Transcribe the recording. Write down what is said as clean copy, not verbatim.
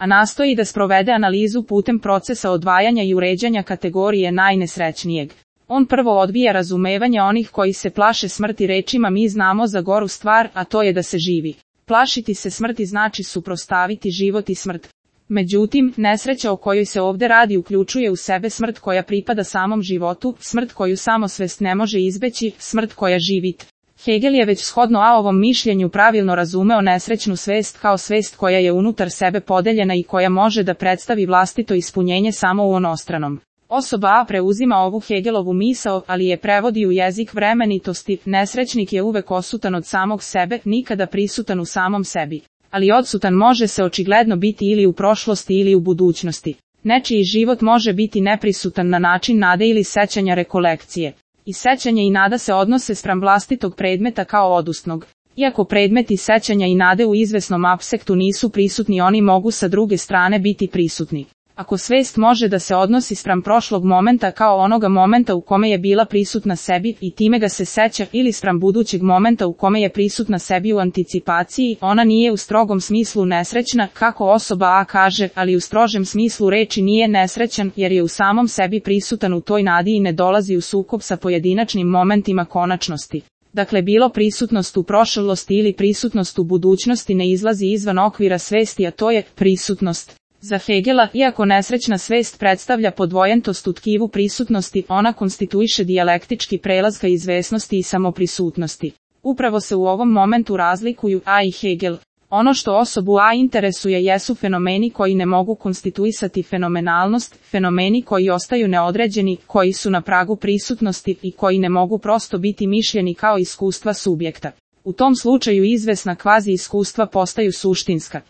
a nastoji da sprovede analizu putem procesa odvajanja i uređanja kategorije najnesrećnijeg. On prvo odbija razumevanje onih koji se plaše smrti rečima mi znamo za goru stvar, a to je da se živi. Plašiti se smrti znači suprotstaviti život i smrt. Međutim, nesreća o kojoj se ovde radi uključuje u sebe smrt koja pripada samom životu, smrt koju samosvest ne može izbeći, smrt koja živit. Hegel je već shodno ovom mišljenju pravilno razumeo nesrećnu svest kao svest koja je unutar sebe podeljena i koja može da predstavi vlastito ispunjenje samo u onostranom. Osoba A preuzima ovu Hegelovu misao, ali je prevodi u jezik vremenitosti, nesrećnik je uvek odsutan od samog sebe, nikada prisutan u samom sebi. Ali odsutan može se očigledno biti ili u prošlosti ili u budućnosti. Nečiji život može biti neprisutan na način nade ili sećanja rekolekcije. I sećanje i nada se odnose spram vlastitog predmeta kao odustnog. Iako predmeti sećanja i nade u izvesnom apsektu nisu prisutni, oni mogu sa druge strane biti prisutni. Ako svest može da se odnosi spram prošlog momenta kao onoga momenta u kome je bila prisutna sebi i time ga se seća ili spram budućeg momenta u kome je prisutna sebi u anticipaciji, ona nije u strogom smislu nesrećna, kako osoba A kaže, ali u strožem smislu reči nije nesrećan jer je u samom sebi prisutan u toj nadi i ne dolazi u sukob sa pojedinačnim momentima konačnosti. Dakle, bilo prisutnost u prošlosti ili prisutnost u budućnosti ne izlazi izvan okvira svesti, a to je prisutnost. Za Hegela, iako nesrećna svest predstavlja podvojentost u tkivu prisutnosti, ona konstituiše dijalektički prelaz ka izvesnosti i samoprisutnosti. Upravo se u ovom momentu razlikuju A i Hegel. Ono što osobu A interesuje jesu fenomeni koji ne mogu konstituisati fenomenalnost, fenomeni koji ostaju neodređeni, koji su na pragu prisutnosti i koji ne mogu prosto biti mišljeni kao iskustva subjekta. U tom slučaju izvesna kvazi iskustva postaju suštinska.